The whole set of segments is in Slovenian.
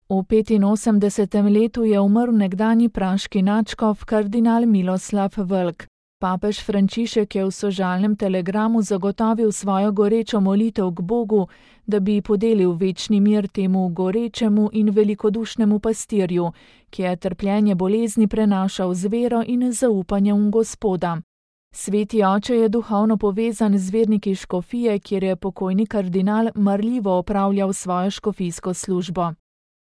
V 85. letu je umrl nekdanji praški nadškof kardinal Miloslav Vlk. Papež Frančišek je v sožalnem telegramu zagotovil svojo gorečo molitev k Bogu, da bi podelil večni mir temu gorečemu in velikodušnemu pastirju, ki je trpljenje bolezni prenašal z vero in zaupanjem v Gospoda. Sveti oče je duhovno povezan z verniki škofije, kjer je pokojni kardinal marljivo opravljal svojo škofijsko službo.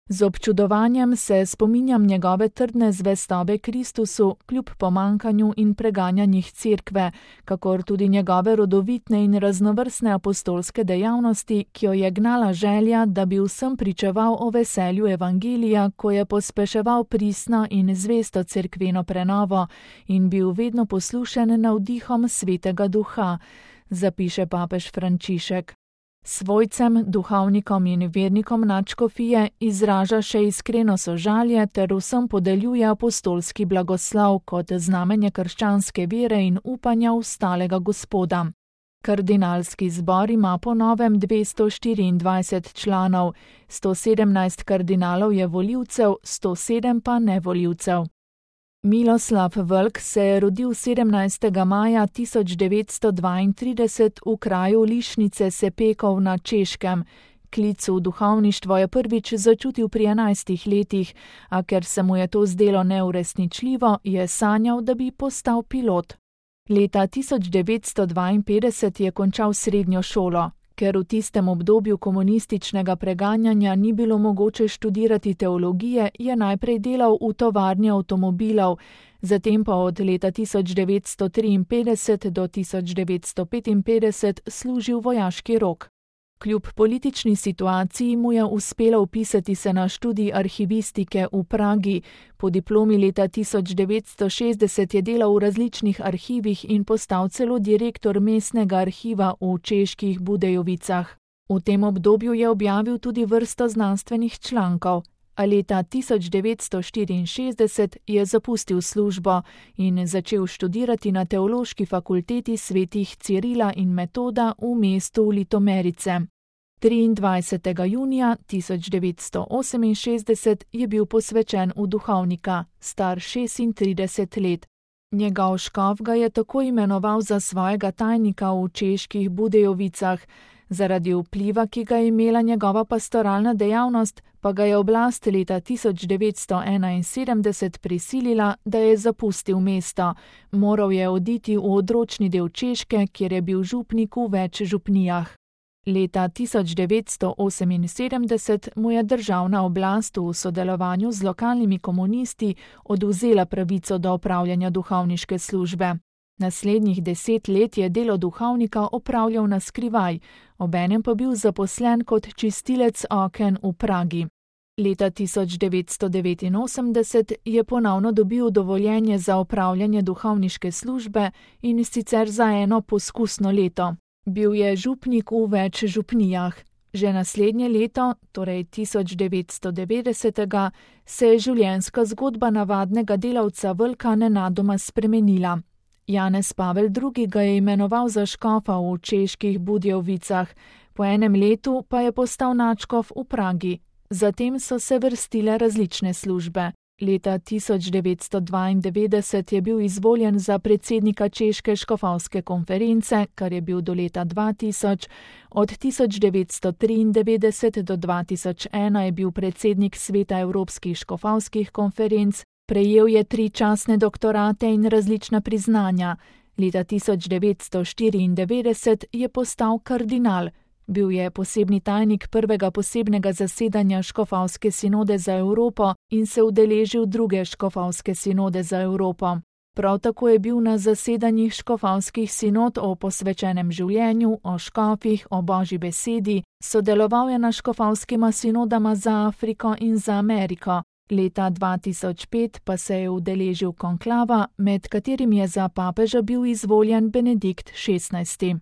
Z občudovanjem se spominjam njegove trdne zvestobe Kristusu kljub pomankanju in preganjanjih cerkve, kakor tudi njegove rodovitne in raznovrstne apostolske dejavnosti, ki jo je gnala želja, da bi vsem pričeval o veselju evangelija, ko je pospeševal pristno in zvesto cerkveno prenovo in bil vedno poslušen navdihom Svetega Duha, zapiše papež Frančišek. Svojcem, duhovnikom in vernikom nadškofije izraža še iskreno sožalje ter vsem podeljuje apostolski blagoslov kot znamenje krščanske vere in upanja v stalega Gospoda. Kardinalski zbor ima po novem 224 članov, 117 kardinalov je volivcev, 107 pa nevolivcev. Miloslav Vlk se je rodil 17. maja 1932 v kraju Lišnice Sepekov na Češkem. Klic v duhovništvo je prvič začutil pri 11 letih, a ker se mu je to zdelo neuresničljivo, je sanjal, da bi postal pilot. Leta 1952 je končal srednjo šolo. Ker v tistem obdobju komunističnega preganjanja ni bilo mogoče študirati teologije, je najprej delal v tovarni avtomobilov, zatem pa od leta 1953 do 1955 služil vojaški rok. Kljub politični situaciji mu je uspelo vpisati se na študij arhivistike v Pragi. Po diplomi leta 1960 je delal v različnih arhivih in postal celo direktor mestnega arhiva v čeških Budejovicah. V tem obdobju je objavil tudi vrsto znanstvenih člankov, a leta 1964 je zapustil službo in začel študirati na Teološki fakulteti svetih Cirila in Metoda v mestu Litomerice. 23. junija 1968 je bil posvečen v duhovnika, star 36 let. Njegov škof ga je tako imenoval za svojega tajnika v čeških Budejovicah. Zaradi vpliva, ki ga je imela njegova pastoralna dejavnost, pa ga je oblast leta 1971 prisilila, da je zapustil mesto. Moral je oditi v odročni del Češke, kjer je bil župnik v več župnijah. Leta 1978 mu je državna oblast v sodelovanju z lokalnimi komunisti odvzela pravico do opravljanja duhovniške službe. Naslednjih 10 let je delo duhovnika opravljal na skrivaj, obenem pa bil zaposlen kot čistilec oken v Pragi. Leta 1989 je ponovno dobil dovoljenje za opravljanje duhovniške službe in sicer za eno poskusno leto. Bil je župnik v več župnijah. Že naslednje leto, torej 1990, se je življenjska zgodba navadnega delavca Vlka nenadoma spremenila. Janez Pavel II. Ga je imenoval za škofa v čeških Budejovicah, po enem letu pa je postal nadškof v Pragi. Zatem so se vrstile različne službe. Leta 1992 je bil izvoljen za predsednika Češke škofovske konference, kar je bil do leta 2000. Od 1993 do 2001 je bil predsednik Sveta evropskih škofovskih konferenc. Prejel je 3 častne doktorate in različna priznanja. Leta 1994 je postal kardinal. Bil je posebni tajnik prvega posebnega zasedanja Škofovske sinode za Evropo in se udeležil druge Škofovske sinode za Evropo. Prav tako je bil na zasedanjih škofovskih sinod o posvečenem življenju, o škofih, o Božji besedi, sodeloval je na škofovskima sinodama za Afriko in za Ameriko. Leta 2005 pa se je udeležil konklava, med katerim je za papeža bil izvoljen Benedikt XVI.